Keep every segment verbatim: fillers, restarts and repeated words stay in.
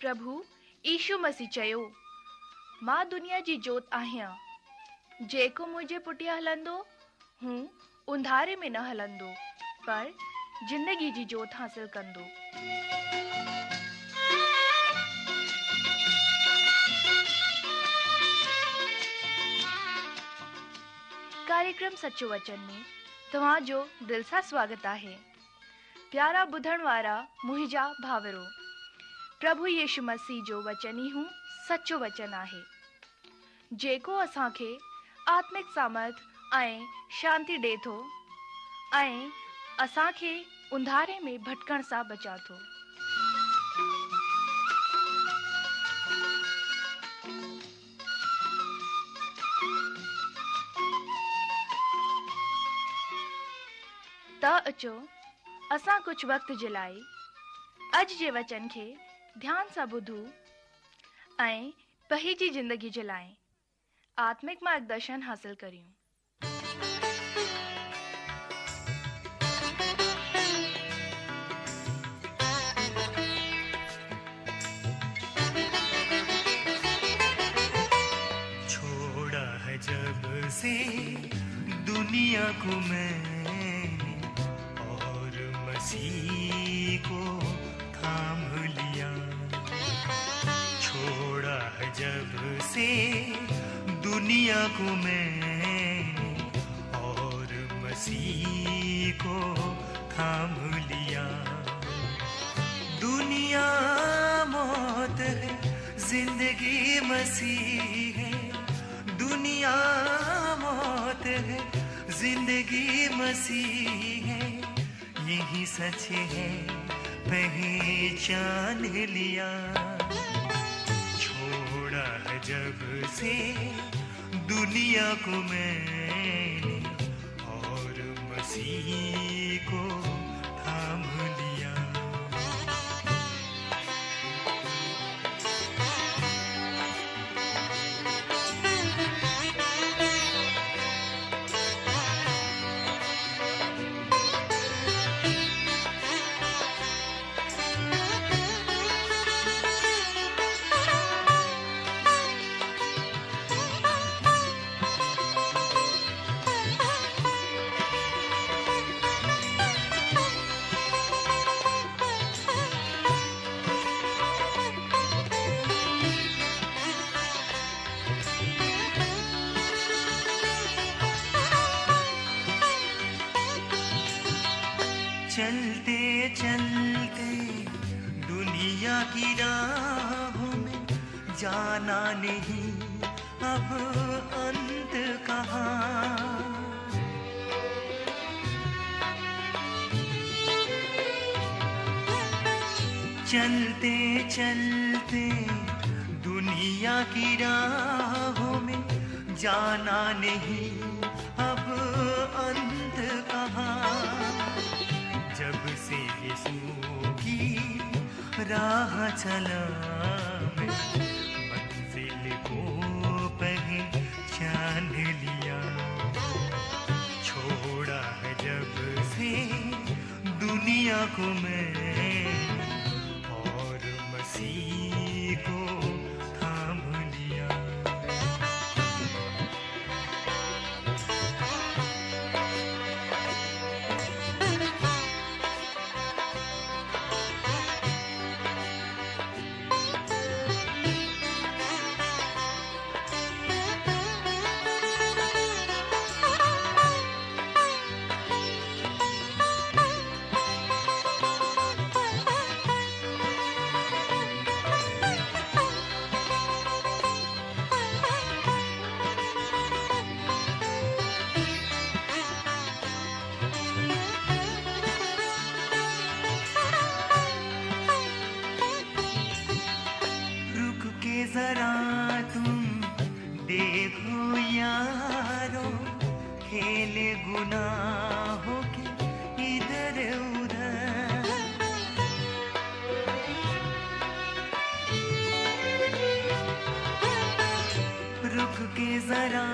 प्रभु यीशु मसीह चयो, मां दुनिया जी जोत आहियां, जेको मुंहिंजे पुठियां हलंदो हू अंधारे में न हलंदो, पर ज़िंदगी जी जोत हासिल कंदो। कार्यक्रम सचो वचन में तव्हां जो दिल सां स्वागत आहे। प्यारा ॿुधण वारा मुंहिंजा भाविरो, प्रभु यीशु मसीह जो वचन ई हूँ सचो वचन आहे, जेको असांखे आत्मिक सामर्थ ऐं शांति ॾिए थो ऐं असांखे अंधारे में भटकण सां बचा थो। त अचो असां कुझु वक़्त जे लाइ अॼु जे वचन खे ध्यान सां ॿुधूं ऐं पंहिंजी ज़िंदगी जे लाइ आत्मिक मार्गदर्शन हासिल करियूं। छोड़ा है जब से दुनिया को मैंने और मसीह को थाम लिया। छोड़ा है जब से दुनिया को मैंने और मसीह को थाम लिया। दुनिया मौत है, जिंदगी मसीह है। दुनिया मौत है, जिंदगी मसीह है। यही सच है पहचान लिया। छोड़ा है जब से दुनिया को मैंने और मसीह को थाम लिया। चलते चलते दुनिया की राहों में जाना नहीं अब अंत कहाँ। चलते चलते दुनिया की राहों में जाना नहीं अब अंत कहाँ। जब से यीशु की राह चला मैं मंजिल को पहचान लिया। छोड़ा है जब से दुनिया को मैं और मसीह को थाम लिया। जरा तुम देखो यारो, खेल गुनाहों के इधर उधर। रुक के जरा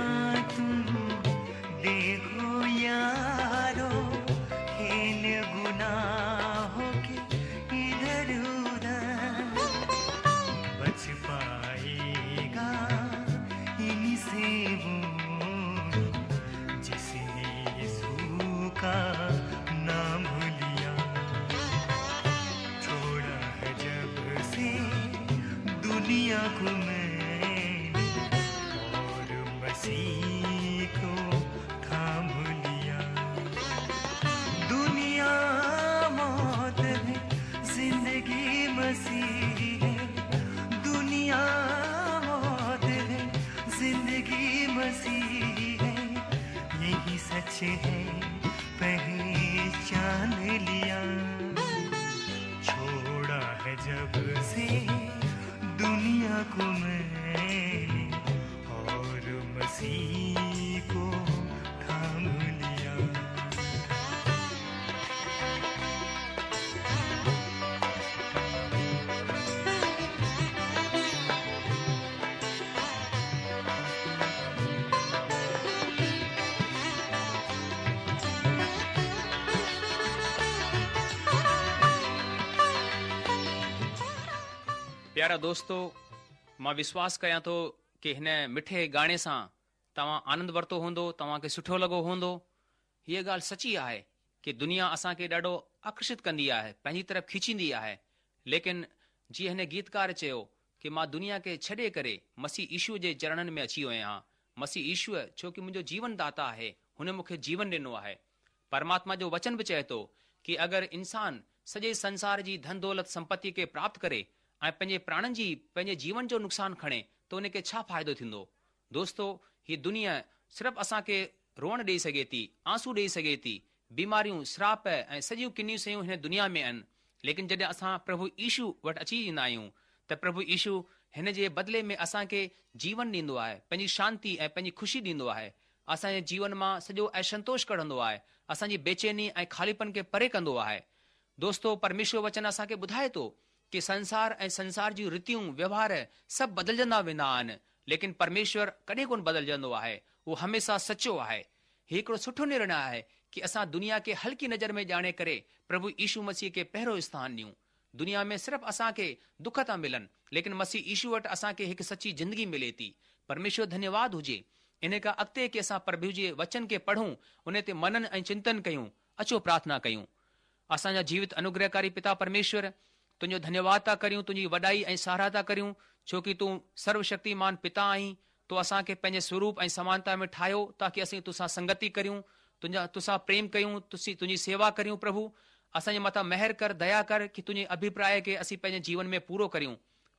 तुम देखो यारो, खेल गुनाहों के इधर उधर। पहचान लिया। छोड़ा है जब से दुनिया को मैंने और मसीह को थाम लिया। प्यारा दोस्तो, मां विश्वास कयां थो कि हिन मिठे गाणे सां तव्हां आनंद वरितो हूंदो, तव्हांखे सुठो लॻो हूंदो। हीअ ॻाल्हि सची आहे कि दुनिया असांखे ॾाढो आकर्षित कंदी आहे, पंहिंजी तरफ़ खींचींदी आहे। लेकिन जीअं हिन गीतकार चयो कि मां दुनिया खे छॾे करे मसीह ईशू जे चरणनि में अची वियो आहियां। मसीह ईशू छो की मुंहिंजो जीवन दाता आहे, हुन मूंखे जीवन ॾिनो आहे। परमात्मा जो वचन बि चए थो कि अगरि इंसान सॼे संसार जी धन दौलत संपत्ति खे प्राप्त करे ऐं पंहिंजे प्राणनि जी पंहिंजे जीवन जो नुक़सानु खणे त उनखे छा फ़ाइदो थींदो। दोस्तो, हीअ दुनिया सिर्फ़ु असांखे रोअण ॾेई सघे थी, आंसू ॾेई सघे थी, बीमारियूं, श्राप ऐं सॼियूं किनियूं शयूं हिन दुनिया में आहिनि। लेकिन जॾहिं असां प्रभु ईशू वटि अची ईंदा आहियूं त प्रभु ईशू हिन जे बदिले में असांखे जीवन ॾींदो आहे, पंहिंजी शांति ऐं पंहिंजी ख़ुशी ॾींदो आहे। असांजे जीवन मां सॼो असंतोष कढंदो आहे, असांजी बेचैनी ऐं ख़ालीपन खे परे कंदो आहे। दोस्तो, परमेश्वर वचन असांखे ॿुधाए थो कि संसार ऐं संसार जूं रीतियूं व्यवहार सभु बदिलजंदा वेंदा आहिनि, लेकिन परमेश्वर कॾहिं कोन बदिलजंदो आहे, उहो हमेशा सचो आहे। हीउ हिकिड़ो सुठो निर्णय आहे कि असां दुनिया खे हल्की नज़र में ॼाणे करे प्रभु ईशू मसीह खे पहिरियों स्थान ॾियूं। दुनिया में सिर्फ़ु असांखे दुख था मिलनि, लेकिन मसीह ईशू वटि असांखे हिकु सची ज़िंदगी मिले थी। परमेश्वर धन्यवाद हुजे। इन खां अॻिते की असां प्रभु जे वचन खे पढ़ूं, उन ते मनन ऐं चिंतन कयूं। अचो प्रार्थना कयूं। असांजा जीवित अनुग्रहकारी पिता परमेश्वर, तुंहिंजो धन्यवाद था करियूं, तुंहिंजी वॾाई ऐं सराह था करियूं, छो की तूं सर्वशक्तिमान पिता आहीं। तो असांखे पंहिंजे स्वरूप ऐं समानता में ठाहियो ताकि असीं तोसां संगति करियूं, तुंहिंजा तोसां प्रेम कयूं, तुसीं तुंहिंजी सेवा करियूं। प्रभु असांजे मथां महिर कर, दया कर कि तुंहिंजे अभिप्राय खे असीं पंहिंजे जीवन में पूरो करियूं।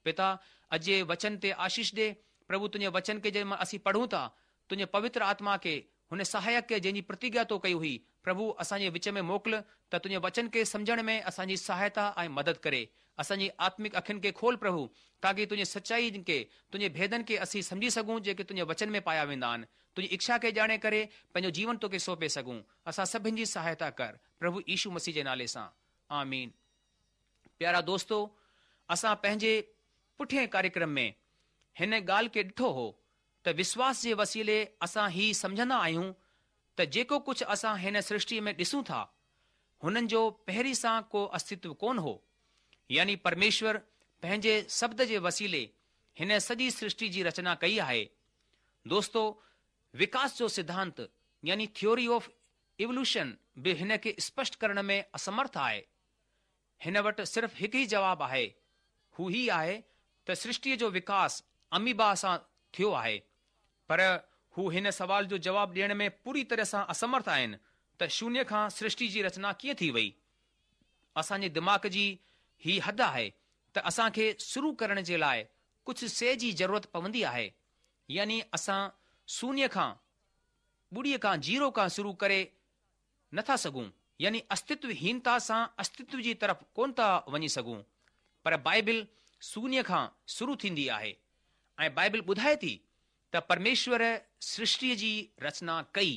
पिता, अॼु जे वचन ते आशीष ॾे। प्रभु तुंहिंजे वचन खे जंहिं असीं पढ़ूं था, तुंहिंजे पवित्र आत्मा खे, हुन सहायक खे जंहिंजी प्रतिज्ञा तो कई हुई, प्रभु असांजे विच में मोकिल त तुंहिंजे वचन खे सम्झण में असांजी सहायता ऐं मदद करे। असांजी आत्मिक अखियुनि खे खोल प्रभु, ताकि तुंहिंजी सचाई खे, तुंहिंजे भेदनि खे असीं सम्झी सघूं जेके तुंहिंजे वचन में पाया वेंदा आहिनि। तुंहिंजी इच्छा खे ॼाणे करे पंहिंजो जीवन तोखे सौंपे सघूं। असां सभिनि जी सहायता कर, प्रभु ईशू मसीह जे नाले सां, आमीन। प्यारा दोस्तो, असां पंहिंजे पुठियें कार्यक्रम में हिन ॻाल्हि खे ॾिठो हो त विश्वास जे वसीले असां ही सम्झंदा आहियूं त जेको कुझु असां हिन सृष्टीअ में ॾिसूं था, हुननि जो पहिरीं सां को अस्तित्व कोन हो। यानी परमेश्वर पंहिंजे शब्द जे वसीले हिन सॼी सृष्टि जी रचना कई आहे। दोस्तो, विकास जो सिद्धांत यानी थ्योरी ऑफ इवोल्यूशन बि हिन खे स्पष्ट करण में असमर्थ आहे। हिन वटि सिर्फ़ु हिकु ई जवाबु आहे, हू ही आहे त सृष्टीअ जो विकास अमीबा सां थियो आहे। पर हू हिन सवाल जो जवाबु ॾियण में पूरी तरह सां असमर्थ आहिनि त शून्य खां सृष्टि जी रचना कीअं थी वई। असांजे दिमाग़ जी ही हद आहे त असांखे शुरू करण जे लाइ कुझु शइ जी ज़रूरत पवंदी आहे। यानी असां शून्य खां, ॿुड़ीअ खां, ज़ीरो खां शुरू करे नथा सघूं, यानी अस्तित्वहीनता सां अस्तित्व जी तरफ़ कोन था वञी सघूं। पर बाइबिल शून्य खां शुरू थींदी आहे ऐं बाइबिल ॿुधाए थी त परमेश्वर सृष्टीअ जी रचना कई।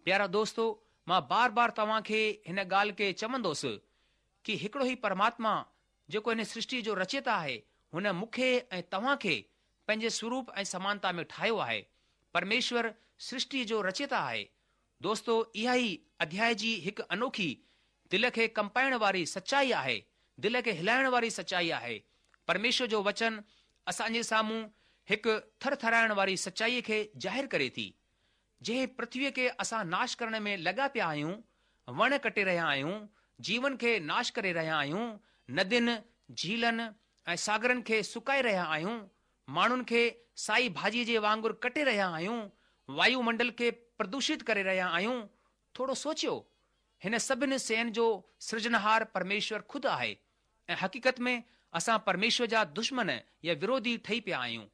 प्यारा दोस्तो, मां बार बार तव्हांखे हिन ॻाल्हि खे चवंदोसि कि हिकिड़ो ई परमात्मा जेको हिन सृष्टीअ जो रचयिता आहे, हुन मूंखे ऐं तव्हांखे पंहिंजे स्वरूप ऐं समानता में ठाहियो आहे। परमेश्वर सृष्टीअ जो रचयिता आहे। दोस्तो, इहा ई अध्याय जी हिकु अनोखी दिलि खे कंपाइण वारी सचाई आहे, दिलि खे हिलाइण वारी सचाई आहे। परमेश्वर जो वचन असांजे साम्हूं हिकु थरथराइण वारी सचाईअ खे ज़ाहिर करे थी। जंहिं पृथ्वीअ खे असां नाश करण में लॻा पिया आहियूं, वण कटे रहिया आहियूं, जीवन खे नाश करे रहिया आहियूं, नदियुनि, झीलनि ऐं सागरनि खे सुकाए रहिया आहियूं, माण्हुनि खे साई भाॼीअ जे वांगुरु कटे रहिया आहियूं, वायुमंडल खे प्रदूषित करे रहिया आहियूं। थोरो सोचियो, हिन सभिनि शयुनि जो सृजनहार परमेश्वर ख़ुदि आहे ऐं हक़ीक़त में असां परमेश्वर जा दुश्मन या विरोधी ठही पिया आहियूं।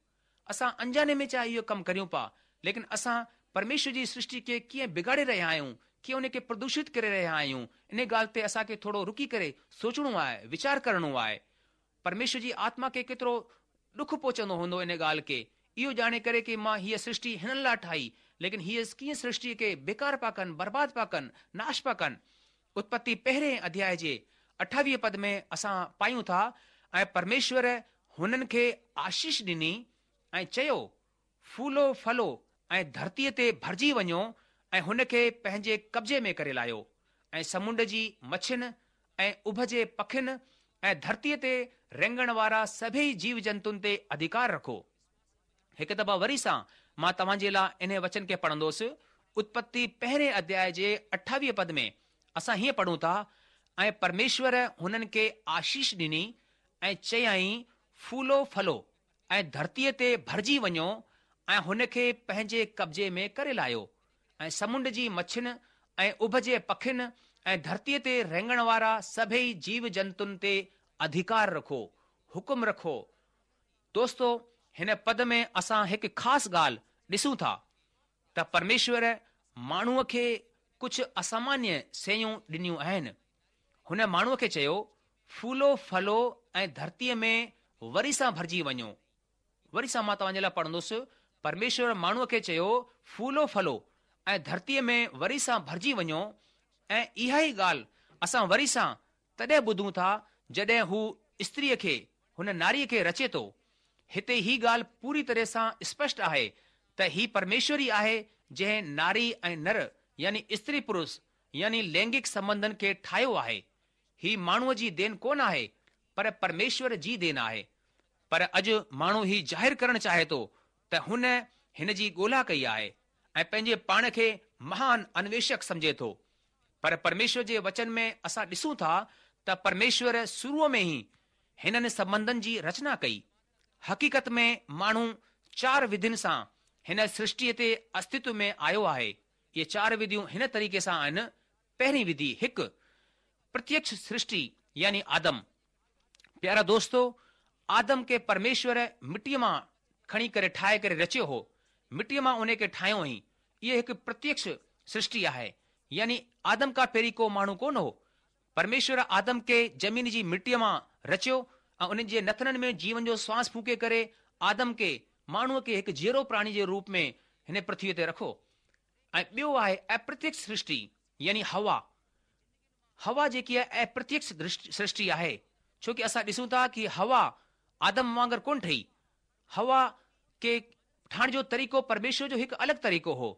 असां अनजाने में चाहे इहो कमु करियूं पिया, लेकिन असां परमेश्वर जी सृष्टि खे कीअं बिगाड़े रहिया आहियूं, ڪيئن ان کي پردوشت ڪري رهيا آهيون، ان ڳالهه تي اسان کي ٿورو رڪي ڪري سوچڻو آهي، ويچار ڪرڻو آهي. پرميشور جي آتما کي ڪيترو ڏک پهچندو هوندو ان ڳالهه کي اهو ڄاڻي ڪري ڪي مان هيء سرشٽي هنن لاء ٺاهي، ليڪن هيء ڪيئن سرشٽيء کي بيڪار پيا ڪن، برباد پيا ڪن، ناش پيا ڪن. اتپتي پهرين اڌياء جي اٺاويهه پد ۾ اسان پايون ٿا، ۽ پرميشور هنن کي آشيش ڏني ۽ چيو، ڦولو ڦلو ۽ ڌرتيء تي ڀرجي وڃو ۽ هن کي پنهنجي قبضي ۾ ڪري لاهيو ۽ سمنڊ جي مڇين ۽ اڀ جي پکين ۽ ڌرتيء تي رينگڻ وارا سڀيئي جيو جنتن تي اڌڪار رکو. هڪ دفعا وري سان مان توهان جي لاء انهي وچن کي پڙهندوس، اتپتي پهرين اڌياء جي اٺاويهه پد ۾ اسان هيئن پڙهون ٿا، ۽ پرميشور هنن کي آشيش ڏني ۽ چيائين، ڦولو ڦلو ۽ ڌرتيء تي ڀرجي وڃو ۽ هن کي پنهنجي قبضي ۾ ڪري لاهيو ۽ سمنڊ جي مڇين ۽ اڀ جي پکين ۽ ڌرتيء تي رينگڻ وارا سڀيئي جيو جنتن تي اڌڪار رکو، حڪم رکو. دوستو، هن پد ۾ اسان هڪ خاص ڳالهه ڏسون ٿا ته پرميشور ماڻهوء کي ڪجهه اسامانيه شيون ڏنيون آهن. هن ماڻهوء کي چيو، ڦولو ڦلو ۽ ڌرتيء ۾ وري سان ڀرجي وڃو. وري سان مان توهان جي لاء پڙهندس، پرميشور ماڻهوء کي چيو، ڦولو ڦلو ۽ ڌرتيء ۾ وري سان ڀرجي وڃو ۽ اها ئي ڳالهه اسان وري سان تڏهن ٻڌون ٿا جڏهن هو استريء کي، هن ناريء کي رچي ٿو. هتي هي ڳالهه پوري طرح سان اسپشٽ آهي ته هي پرميشور ئي آهي جنهن ناري ۽ نر يعني استري پرش يعني لينگڪ سنٻنڌن کي ٺاهيو آهي. هي ماڻهوء جي دين ڪونه آهي پر پرميشور جي دين آهي. پر اڄ ماڻهو هي ظاهر ڪرڻ چاهي ٿو ته هن هن جي ڳولها ڪئي آهي ۽ پنهنجي پاڻ کي مهان انويشڪ سمجهي ٿو. پر پرميشور جي وچن ۾ اسان ڏسون ٿا ته پرميشور شروع ۾ ئي هنن سنٻنڌن جي رچنا ڪئي. حقيقت ۾ ماڻهو چار وڌين سان هن سرشٽيء تي استتو ۾ آيو آهي. اهي چار وڌيون هن طريقي سان آهن، پهرين وڌي، هڪ، پرتيڪش سرشٽي يعني آدم. پيارا دوستو، آدم کي پرميشور مٽيء مان کڻي ڪري ٺاهي ڪري رچيو هو. مٽيء مان انهي کي ٺاهيو هئائين. اهي هڪ پرتيڪش سرشٽي آهي. يعني آدم کان پهرين ڪو ماڻهو ڪونه هو. پرميشور آدم کي زمين جي مٽيء مان رچيو ۽ ان جي نٿنن ۾ جيون جو سواس ڦوڪي ڪري آدم کي، ماڻهوء کي هڪ جيئرو پراڻي جي روپ ۾ هن پرٿويء تي رکو. ۽ ٻيو آهي اپرتيڪش سرشٽي يعني حوا. حوا جيڪي آهي اپرتيڪش سرشٽي آهي، ڇو ڪي اسان ڏسون ٿا ڪي حوا آدم وانگر ڪونه ٺهي. حوا کي ٺاهڻ جو طريقو پرميشور جو هڪ الڳ طريقو هو.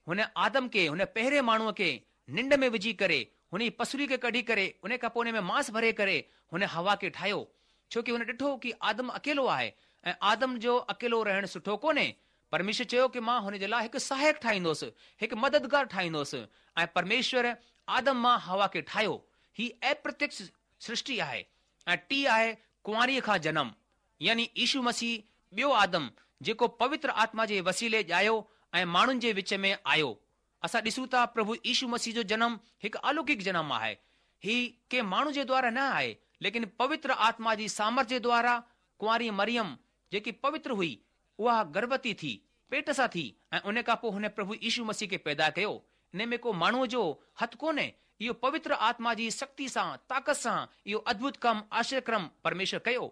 هن آدم کي، هن پهرين ماڻهوء کي ننڊ ۾ وجهي ڪري، هن جي پسري کي ڪڍي ڪري، ان کان پوء ان ۾ مانس ڀري ڪري هن حوا کي ٺاهيو. ڇو ڪي هن ڏٺو ڪي آدم اڪيلو آهي ۽ آدم جو اڪيلو رهڻ سٺو ڪونهي. پرميشور چيو ڪي مان هن جي لاء هڪ سهائڪ ٺاهيندوس، هڪ مددگار ٺاهيندوس ۽ پرميشور آدم مان حوا کي ٺاهيو. هي اپرتيڪش سرشٽي آهي ۽ ٽي آهي ڪنواريء کان جنم. يعني يشو مسيح ٻيو آدم جيڪو پوتر آتما جي وسيلي ڄايو ۽ ماڻهن جي وچ ۾ آيو. اسان ڏسون ٿا پرڀو يشو مسيح جو جنم هڪ الوڪڪ جنم آهي. هي ڪنهن ماڻهو جي دوارا نه آهي ليڪن پوتر آتما جي سامرٿ جي دوارا ڪنواري مريم جيڪي پوتر هئي اها گرڀوتي ٿي، پيٽ سان ٿي ۽ ان کان پوء هن پرڀو يشو مسيح کي پيدا ڪيو. ان ۾ ڪو ماڻهوء جو هٿ ڪونهي. اهو پوتر آتما جي شڪتي سان، طاقت سان اهو ادڀت ڪم، آشچريه ڪرم، پرميشور ڪيو.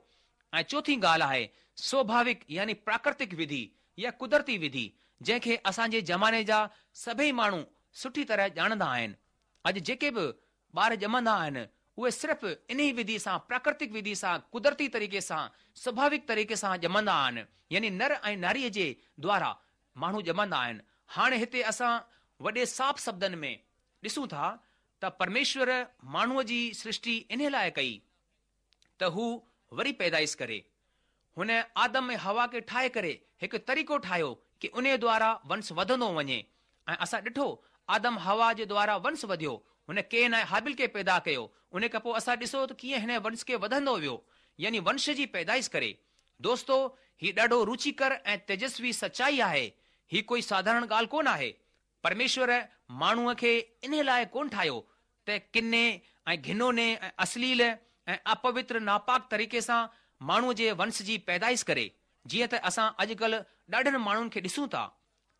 ۽ چوٿين ڳالهه آهي سوڀاوڪ يعني پراڪرتڪ وڌي يا قدرتي وڌي، جنهن کي اسان جي زماني جا سڀئي ماڻهو سٺي طرح ڄاڻندا آهن. اڄ جيڪي به ٻار ڄمندا آهن، اهي صرف انهي وڌي سان، پراڪرتڪ وڌي سان، قدرتي طريقي سان، سڀاويڪ طريقي سان ڄمندا آهن، يعني نر ۽ ناريء جي دوارا ماڻهو ڄمندا آهن. هاڻي هتي اسان وڏي صاف شبدن ۾ ڏسون ٿا ته پرميشور ماڻهوء جي سرشٽي انهي لاء ڪئي ته هو وري پيدائش ڪري. هن آدم ۽ حوا کي ٺاهي ڪري هڪ طريقو ٺاهيو ڪي انهي دوارا ونس وڌندو وڃي ۽ اسان ڏٺو آدم حوا جي دوارا ونس وڌيو هن ڪين ۽ هابيل کي پيدا ڪيو انهي کان پوء اسان ڏسو ته ڪيئن هن ونس کي وڌندو ويو يعني ونش جي پيدائش ڪري. دوستو هي ڏاڍو روچيڪر ۽ تيجسوي سچائي آهي هي ڪوئي ساڌارڻ ڳالهه ڪونه آهي. پرميشور ماڻهوء کي انهي لاء ڪونه ٺاهيو ته ڪني ۽ گهنوني ۽ اشليل ۽ اپوتر ناپاڪ طريقي سان ماڻهوء جي ونس جي پيدائش ڪري، جيئن ته اسان اڄڪلهه ڏاڍن ماڻهن کي ڏسون ٿا.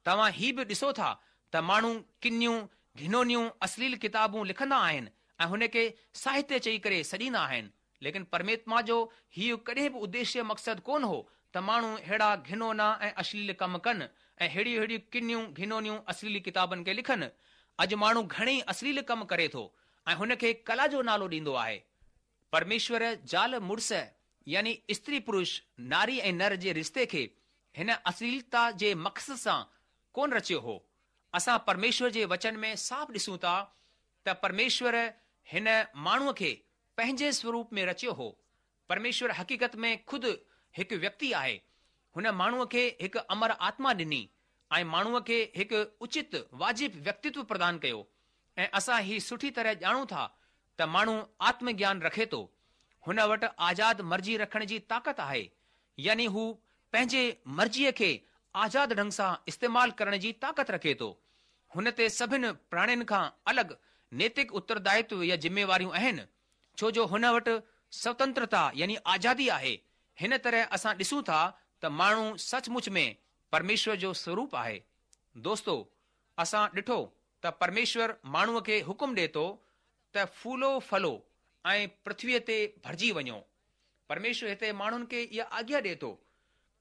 توهان هي به ڏسو ٿا ته ماڻهو ڪنيون، گهنونيون اشليل ڪتابون لکندا آهن ۽ هن کي ساهتيه چئي ڪري سڏيندا آهن. ليڪن پرماتما جو هيء ڪڏهن به اديشيه مقصد ڪونه هو ته ماڻهو ههڙا گهنونا ۽ اشليل ڪم ڪن ۽ ههڙيون ههڙيون ڪنيون گهنونيون اشليل ڪتابن کي لکن. اڄ ماڻهو گهڻي اشليل ڪم ڪري ٿو ۽ هن کي ڪلا جو نالو ڏيندو آهي. پرميشور زال مڙس يعني استري پرش، ناري ۽ نر جي رشتي کي هن اشليلتا جي مقصد سان ڪونه رچيو هو. اسان پرميشور جي وچن ۾ صاف ڏسون ٿا ته پرميشور هن ماڻهوء کي پنهنجي سوروپ ۾ رچيو هو. پرميشور حقيقت ۾ خود هڪ ويڪتي آهي. هن ماڻهوء کي هڪ امر آتما ڏني ۽ ماڻهوء کي هڪ اچت واجب ويڪتتو پردان ڪيو ۽ اسان هي سٺي طرح ڄاڻون ٿا ته ماڻهو آتم گيان رکي ٿو. هن وٽ آزاد مرضي رکڻ جي طاقت آهي، يعني هو پنهنجي مرضيء کي آزاد ڍنگ سان استعمال ڪرڻ جي طاقت رکي ٿو. هن تي سڀن پراڻين کان الڳ نيتڪ اتردائتو يا ذميواريون آهن، ڇو جو هن وٽ سوتنترتا يعني آزادي آهي. هن طرح اسان ڏسون ٿا ته ماڻهو سچ مچ ۾ پرميشور جو سوروپ آهي. دوستو، اسان ڏٺو ته پرميشور ماڻهوء کي حڪم ڏئي ٿو ته ڦولو ڦلو ۽ پرٿويء تي ڀرجي وڃو. پرميشور هتي ماڻهن کي اها آگيا ڏئي ٿو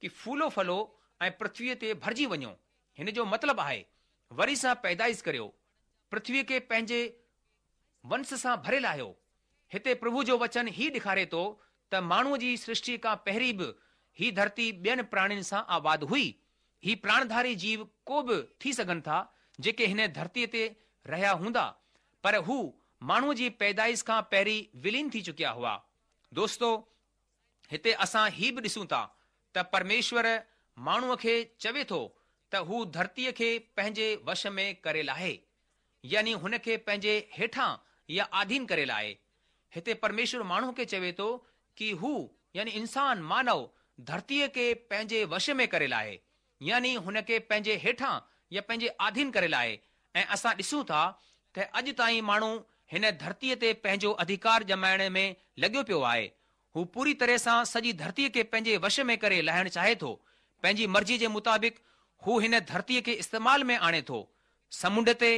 ڪي ڦولو ڦلو ۽ پرٿويء تي ڀرجي وڃو. هن جو مطلب آهي وري سان پيدائش ڪريو، پرٿويء کي پنهنجي ونس سان ڀري لاهيو. هتي پرڀو جو وچن هي ڏيکاري ٿو ته ماڻهوء جي سرشٽيء کان پهرين به هي ڌرتي ٻين پراڻين سان آباد هئي. هي پراڻڌاري جيو ڪو به ٿي سگهن ٿا جيڪي هن ڌرتيء تي رهيا هوندا، پر هو ماڻهوء جي پيدائش کان پهرين ولين ٿي چڪيا هئا. دوستو! هتي اسان هي به ڏسون ٿا ته پرميشور ماڻهوء کي چوي ٿو ته هو ڌرتيء کي پنهنجي وش ۾ ڪري لاهي، يعني هن کي پنهنجي هيٺان يا آڌين ڪري لاهي. هتي پرميشور ماڻهوء کي چوي ٿو ڪي هو، يعني انسان، مانو، ڌرتيء کي پنهنجي وش ۾ ڪري لاهي، يعني هن کي پنهنجي هيٺان يا پنهنجي آڌين ڪري لاهي ۽ اسان ڏسون ٿا ته اڄ تائين ماڻهو هن ڌرتيء تي پنهنجو اڌيڪار ڄمائڻ ۾ لڳيو پيو آهي. هو پوري طرح سان سڄي ڌرتيء کي پنهنجي وش ۾ ڪري لاهڻ چاهي ٿو. پنهنجي مرضيء جي مطابق هو هن ڌرتيء کي استعمال ۾ آڻي ٿو. سمنڊ تي،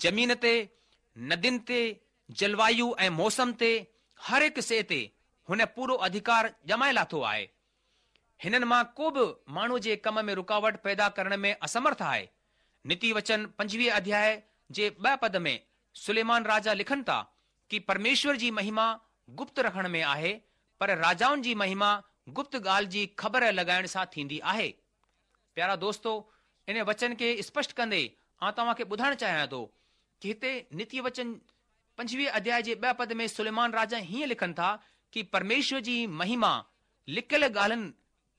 زمين تي، ندين تي، جلوايو ۽ موسم تي، هر هڪ شيء تي هن پورو اڌيڪار ڄمائي لاٿو آهي. هنن مان ڪو به ماڻهوء جي ڪم ۾ رڪاوٽ پيدا ڪرڻ ۾ اسمرٿ آهي. نيتي وچن پنجويهه اڌياء جي ٻه پد ۾ سليمان راجا لکن ٿا ڪي پرميشور جي مهما گپت رکڻ ۾ آهي پر راجائن جي مهما گپت ڳالهه جي خبر لڳائڻ سان ٿيندي آهي. پيارا دوستو ان وچن کي اسپشٽ ڪندي آئون توهان کي ٻڌائڻ چاهيان ٿو ڪي هتي نيتي وچن پنجويهه اڌياء جي ٻه پد ۾ سليمان راجا هيئن لکن ٿا ڪي پرميشور جي مهما لڪيل ڳالهين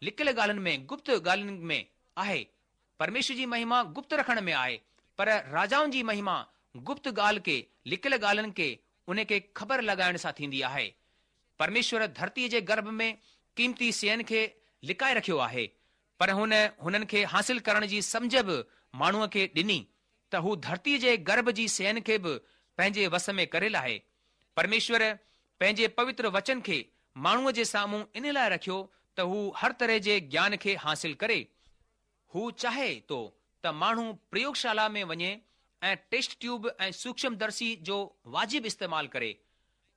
لڪيل ڳالهين ۾ گپت ڳالهين ۾ آهي. پرميشور جي مهما گپت رکڻ ۾ آهي، پر راجائن جي مهما گپت ڳالهه کي، لڪيل ڳالهين کي، ان کي خبر لڳائڻ سان ٿيندي آهي. پرميشور ڌرتيء جي گرڀ ۾ قيمتي شين کي لڪائي رکيو آهي، پر هن هنن کي حاصل ڪرڻ جي سمجهه به ماڻهوء کي ڏني ته هو ڌرتيء جي گرڀ جي شين کي به پنهنجي وس ۾ ڪري لاهي. پرميشور پنهنجي پوتر وچن کي ماڻهوء جي سامهون ان لاء رکيو ته هو هر طرح جي گيان کي حاصل ڪري. هو چاهي ٿو ته ماڻهو پريوگشالا ۾ وڃي ۽ ٽيسٽ ٽيوب ۽ سوڪشم درشي جو واجب استعمال ڪري،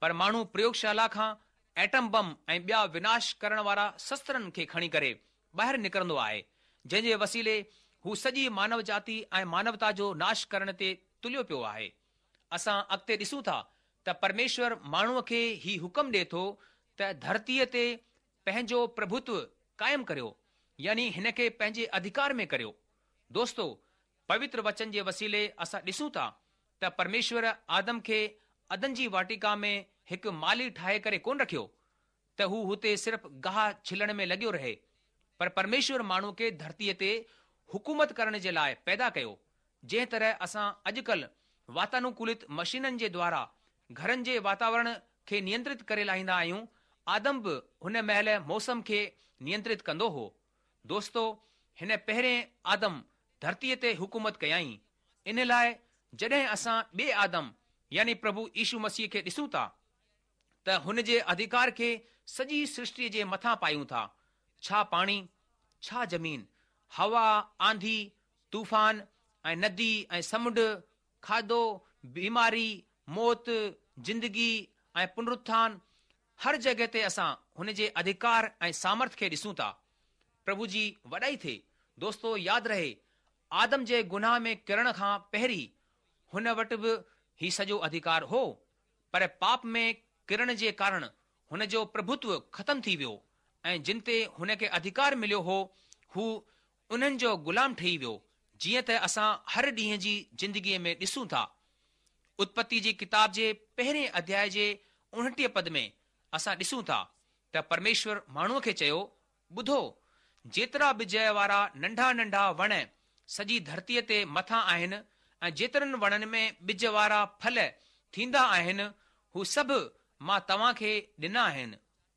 پر ماڻهو پريوگشالا کان ايٽم بم ۽ ٻيا وناش ڪرڻ وارا شسترن کي کڻي ڪري ٻاهر نڪرندو آهي، جنهن جي وسيلي هو سڄي مانو جاتي ۽ مانوتا جو ناش ڪرڻ تي تليو پيو آهي. اسان اڳتي ڏسون ٿا ته پرميشور ماڻهوء کي هي حڪم ڏئي ٿو ته ڌرتيء تي پنهنجو پرڀوتو قائم ڪريو، يعني هن کي پنهنجي اڌيڪار ۾ ڪريو. دوستو، پوتر وچن جي وسيلي اسان ڏسون ٿا ته پرميشور آدم کي عدن جي واٽيڪا ۾ هڪ مالهي ٺاهي ڪري ڪونه رکيو ته هو هتي صرف گاهه ڇلڻ ۾ لڳيو رهي، پر پرميشور ماڻهوء کي ڌرتيء تي حڪومت ڪرڻ جي لاء پيدا ڪيو. جنهن طرح اسان اڄڪلهه واتانوڪولت مشينن جي دوارا گهرن جي واتاورڻ کي نينترت ڪري لاهيندا آهيون، آدم به هن مهل موسم کي نينترت ڪندو هو. دوستو، هن پهرين آدم ڌرتيء تي حڪومت ڪيائين. ان لاء جڏهن اسان ٻئي آدم يعني پرڀو يشو مسيح کي ڏسون ٿا ته هن جي اڌيڪار کي سڄي سرشٽيء جي مٿان پايون ٿا. ڇا پاڻي، ڇا زمين، هوا، آنڌي، طوفان ۽ ندي ۽ سمنڊ، کاڌو، بيماري، موت، زندگي ۽ پنرٿان، هر جڳهه تي اسان هن جي اڌڪار ۽ سامرٿ کي ڏسون ٿا. پرڀو جي وڏائي ٿئي. دوستو ياد رهي، آدم جي گناهه ۾ ڪرڻ کان پهرين هن وٽ به هي سڄو اڌڪار هو، پر پاپ ۾ ڪرڻ جي ڪارڻ هن جو پرڀتو ختم ٿي ويو ۽ جن تي هن کي اڌڪار مليو هو، هو انهن جو غلام ٺهي ويو، جيئن ته اسان هر ڏينهن جي زندگيء ۾ ڏسون ٿا. اتپتي جي ڪتاب جي پهرين اڌياء جي اڻٽيهه پد ۾ اسان ڏسون ٿا ته پرميشور ماڻهوء کي چيو، ٻڌو، جيترا ٻج وارا ننڍا ننڍا وڻ سڄي ڌرتيء تي مٿان آهن ۽ جيترن وڻن ۾ ٻج وارا ڦل ٿيندا آهن، هو سڀ مان توهان کي ڏنا آهن،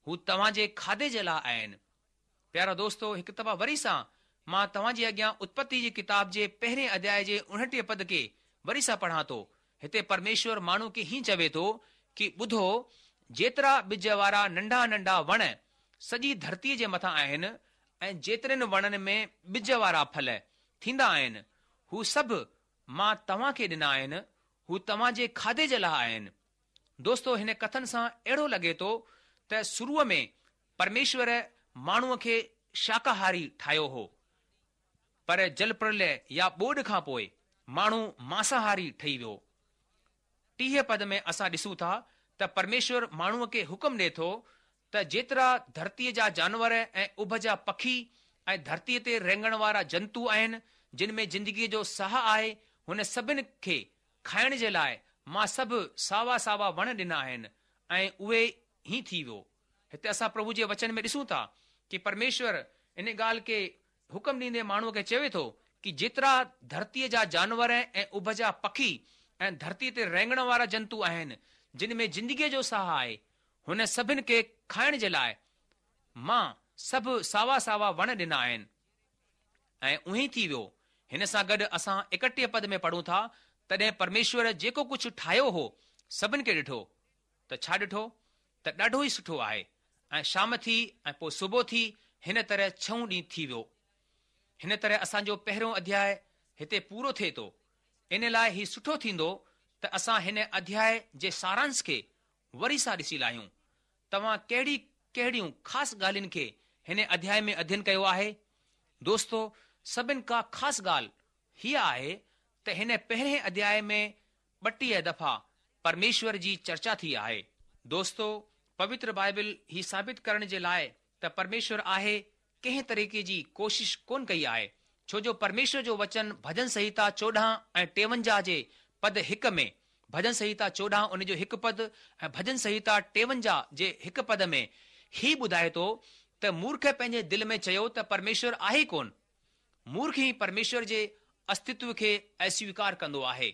هو توهان جي کاڌي جي لاء آهن. پيارا دوستو، هڪ دفعا وري سان مان توهان جي اڳيان اتپتي جي ڪتاب جي پهرين اڌياء جي اڻٽيهه پد کي وري سان پڙهان ٿو. هتي پرميشور ماڻهو کي هيئن چوي ٿو ڪي ٻڌو، جيترا ٻج وارا ننڍا ننڍا وڻ سڄي ڌرتيء جي مٿان آهن ۽ جيترن وڻن ۾ ٻج وارا ڦل ٿيندا آهن، هو سڀ مان توهان کي ڏنا آهن، هو توهان جي کاڌي جي لاء آهن. دوستو، هن ڪٿن سان اهڙو لڳي ٿو ته شروع ۾ پرميشور ماڻهوء کي شاڪاهاري ٺاهيو هو، پر جل پرلئه يا ٻوڏ کان پوء ماڻهو مانساهاري ٺهي ويو. ٽيهه پد ۾ اسان ڏسون ٿا ته پرميشور ماڻهوء کي حڪم ڏئي ٿو ته جيترا ڌرتيء جا جانور ۽ اڀ جا پکي ۽ ڌرتيء تي رينگڻ وارا جنتو آهن، جن ۾ زندگيء جو ساهه آهي، هن سڀن کي کائڻ جي لاء مان سڀ ساوا ساوا وڻ ڏنا آهن ۽ اهي ئي ٿي ويو. هتي اسان پرڀو جي وچن ۾ ڏسون ٿا ڪي پرميشور ان ڳالهه کي حڪم ڏيندي ماڻهوء کي چوي ٿو ڪي جيترا ڌرتيء جا جانور ۽ اڀ جا پکي ۽ ڌرتيء تي رينگڻ وارا جنتو آهن، جن ۾ زندگيء جو ساهه آهي، هن سڀن کي کائڻ جي لاء مان سڀ ساوا ساوا وڻ ڏنا آهن. ۽ اونهي ٿي ويو. هن سان گڏ اسان ايڪٽيهه پد ۾ پڙهون ٿا، تڏهن پرميشور جيڪو ڪجهه ٺاهيو هو، سڀن کي ڏٺو، ته ڇا ڏٺو؟ ته ڏاڍو ئي سٺو آهي. ۽ شام ٿي ۽ پوء صبح ٿي، هن طرح ڇهون ڏينهن ٿي ويو. هن طرح اسان جو پهريون اڌياء هتي پورو ٿئي ٿو. ان لاء هي سٺو ٿيندو ته اسان هن اڌياء جي سارانش کي وري سان ڏسي لاهيون. توهان ڪهڙي ڪهڙيون خاص ڳالهين کي هن اڌياء ۾ اڌين ڪيو آهي؟ دوستو، سڀن کان خاص ڳالهه هيء آهي ته هن پهرين اڌياء ۾ ٻٽيهه دفعا پرميشور جي چرچا ٿي آهي. دوستو، پوتر بائبل هي ثابت ڪرڻ جي لاء ته پرميشور آهي ڪنهن طريقي جي ڪوشش ڪونه ڪئي آهي، ڇو جو پرميشور جو وچن ڀڄن سنهتا چوڏهن ۽ ٽيونجاهه جي پد هڪ ۾، ڀڄن سنهتا چوڏهن ان جو هڪ پد ۽ ڀڄن سنهتا ٽيونجاهه جي هڪ پد ۾ هي ٻڌائي ٿو ته مورک پنهنجي دل ۾ چيو ته پرميشور آهي ئي ڪونه. مورک ئي پرميشور جي استتو کي اسويڪار ڪندو آهي.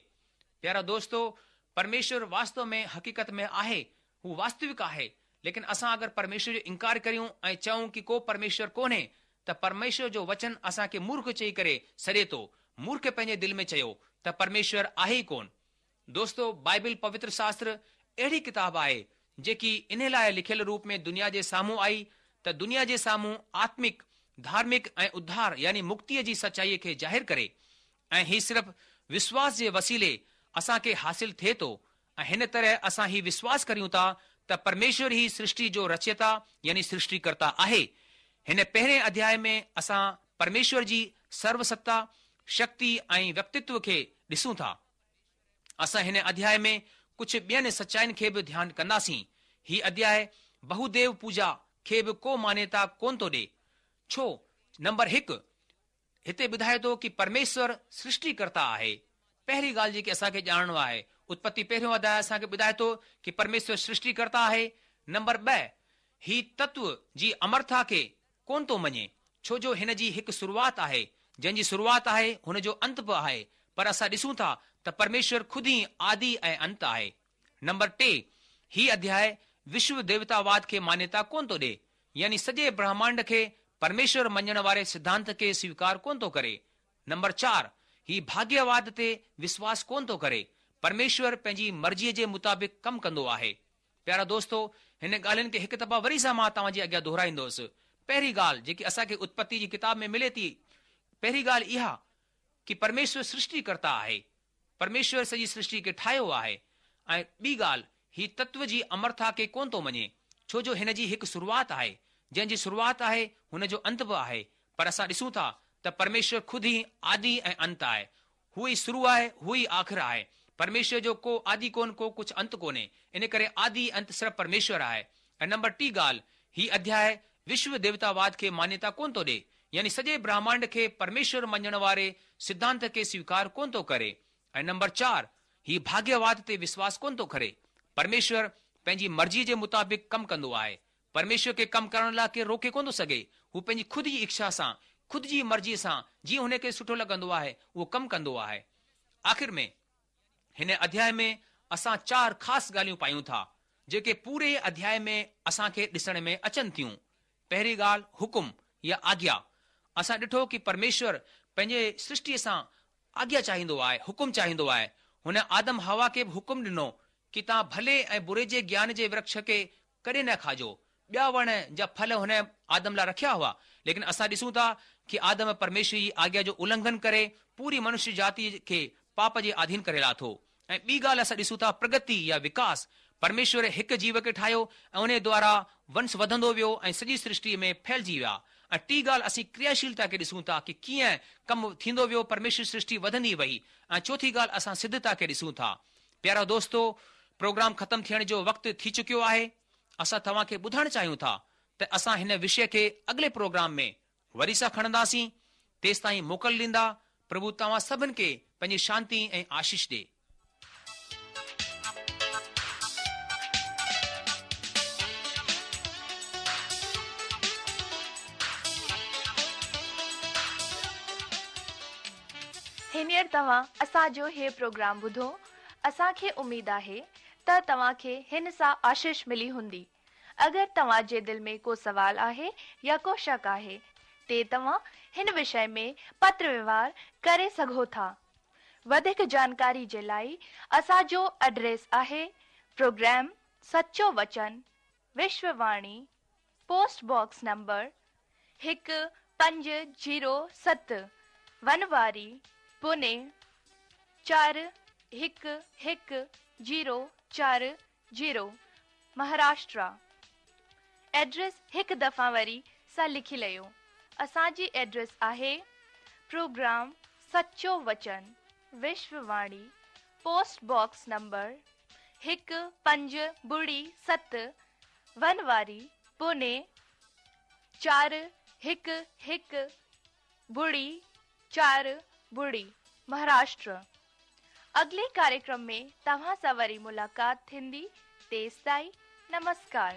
پيارا دوستو، پرميشور واستو ۾ حقيقت ۾ آهي، هو واستوڪ آهي، ليڪن اسان اگر پرميشور جو انڪار ڪريون ۽ چئون ڪي ڪو پرميشور ڪونهي ته پرميشور جو وچن اسان کي مورک چئي ڪري سڏي ٿو. مورک پنهنجي دل ۾ چيو ته پرميشور آهي ئي ڪونه. دوستو، بائبل پوتر شاستر اهڙي ڪتاب آهي جيڪي انهي لاء لکيل روپ ۾ دنيا جي سامهون آئي ته دنيا جي سامهون آتمڪ، ڌارمڪ ۽ اڌار يعني مڪتيء جي سچائيء کي ظاهر ڪري ۽ هي صرف وشواس جي وسيلي اسان کي حاصل ٿئي ٿو ۽ هن طرح اسان هي وشواس ڪريون ٿا ته پرميشور ئي سرشٽي جو رچيتا يعني سرشٽيڪرتا آهي. هن پهرين اڌياء ۾ اسان پرميشور جي سروستا، شڪتي ۽ ويڪتتو کي ڏسون ٿا. اسان هن اڌياء ۾ ڪجهه ٻين سچائين کي به ڌيان ڪنداسين. هي اڌياء بهوديو پوجا کي به ڪو مانيتا ڪونه ٿو ڏي. ڇو؟ نمبر هڪ، هتي ٻڌائي ٿو ڪي پرميشور سرشٽيڪرتا آهي. پهرين ڳالهه جيڪي اسان کي ڄاڻڻو آهي، اتپتي پهريون اڌياء اسان کي ٻڌائي ٿو ڪي پرميشور سرشٽيڪرتا آهي. نمبر ٻه، هي تتو جي امرتا کي ڪونه ٿو مڃي، ڇو جو هن جي هڪ شروعات آهي، جنهن جي شروعات آهي هن جو انت به آهي، پر اسان ڏسون ٿا ته پرميشور خود ئي آدي ۽ انت آهي. نمبر ٽي، هي اڌياء وشو ديوتاواد کي مانيتا ڪونه ٿو ڏي، يعني سڄي برهمانڊ کي پرميشور مڃڻ واري سڌانت کي سويڪار ڪونه ٿو ڪري. نمبر چار، هي ڀاگيواد تي وشواس ڪونه ٿو ڪري، پرميشور پنهنجي مرضيء جي مطابق ڪم ڪندو آهي. پيارا دوستو، هن ڳالهين کي هڪ دفعا وري سان مان توهان جي اڳيان دهرائيندس. پهرين ڳالهه جيڪي اسان کي اتپتي جي ڪتاب ۾ ملي ٿي، پهرين ڳالهه اها ڪي پرميشور سرشٽيڪرتا آهي. پرميشور سڄي سرشٽي کي ٺاهيو آهي. ۽ ٻي ڳالهه، هي تتو جي امرتا کي ڪونه ٿو مڃي، ڇو جو هن جي هڪ شروعات آهي، جنهن جي شروعات آهي هن جو انت به آهي. پر اسان ڏسون ٿا ته پرميشور خود ئي آدي ۽ انت آهي. هو ئي شروع آهي، هو ئي آخر آهي. پرميشور جو ڪو آدي ڪونه، ڪو ڪجهه انت ڪونهي. ان ڪري آدي انت صرف پرميشور آهي. ۽ نمبر ٽي ڳالهه، هي اڌياء وشو ديوتاواد کي مانيتا ڪونه ٿو ڏي، يعني سڄي برهمانڊ کي پرميشور مڃڻ واري سڌانت کي سويڪار ڪونه ٿو ڪري. ۽ نمبر چار، هي ڀاگيواد تي وشواس ڪونه ٿو ڪري. پرميشور پنهنجي مرضيء جي مطابق ڪم ڪندو آهي. پرميشور کي ڪم ڪرڻ لاء ڪير روڪي ڪونه ٿو سگهي. هو پنهنجي خود جي اڇا سان، خود جي مرضيء سان، جيئن هن کي سٺو لڳندو آهي، اهو ڪم ڪندو آهي. آخر ۾ هن اڌياء ۾ اسان چار خاص ڳالهيون پايون ٿا، جيڪي پوري اڌياء ۾ اسان کي ڏسڻ ۾ اچن ٿيون. پهرين ڳالهه، حڪم يا آگيا. اسان ڏٺو ڪي پرميشور پنهنجي سرشٽيء سان آگيا چاهيندو آهي، حڪم چاهيندو آهي. هن آدم حوا کي به حڪم ڏنو ڪي توهان ڀلي ۽ بري جي گيان جي ورڪش کي ڪڏهن نه کاجو. ٻيا وڻ جا ڦل هن آدم لاء رکيا هئا، ليڪن اسان ڏسون ٿا ڪي آدم پرميشور جي آگيا جو النگهن ڪري پوري منشيه جاتي کي پاپ جي آڌين ڪري لاٿو. ۽ ٻي ڳالهه اسان ڏسون ٿا پرگتي يا وڪاس. پرميشور هڪ جيو کي ٺاهيو ۽ انهي دوارا ونش وڌندو ويو ۽ سڄي سرشٽي ۾ ڦهلجي ويا. ۽ ٽي ڳالهه اسين ڪرياشيلتا کي ڏسون ٿا ڪي ڪيئن ڪم ٿيندو ويو، پرميشور سرشٽي وڌندي وئي. ۽ چوٿي ڳالهه اسان سڌتا کي ڏسون ٿا. پيارا دوستو، پروگرام ختم ٿيڻ جو وقت ٿي چڪيو آهي. اسان توهان کي ٻڌائڻ چاهيون ٿا ته اسان هن وشي کي اڳلي پروگرام ۾ وري سان کڻنداسين. تيستائين موڪل ڏيندا. پرڀو توهان سڀن کي پنهنجي شانتي ۽ آشيش ڏي. هينئر توهان اسان جو هي پروگرام ٻڌو. اسان کي اميد آهي ته توهان کي هن سان آشيش ملي هوندي. اگر توهان جي دل ۾ ڪو سوال آهي يا ڪو شڪ آهي تي توهان هن وشي ۾ پتر ويوهار ڪري سگهو ٿا. وڌيڪ جانڪاري جي لاءِ اسان جو ايڊريس آهي پروگرام سچو وچن، وشوواڻي، پوسٽ باڪس نمبر هڪ پنج زيرو ست، ونواري، پوني چار هڪ هڪ زيرو چار زيرو، مهاراشٽرا. ايڊريس هڪ دفعا وري سان لکي ليو. اسان جي ايڊريس آهي پروگرام سچو وچن، وشوواڻي، پوسٽ باڪس نمبر هڪ پنج ٻڙي ست، ونواري، پوني چار هڪ هڪ ٻڙي چار ٻڙي، مهاراشٽر. اڳلي ڪاريڪرم ۾ توهان سان وري ملاقات ٿيندي. تيستائين نمسڪار.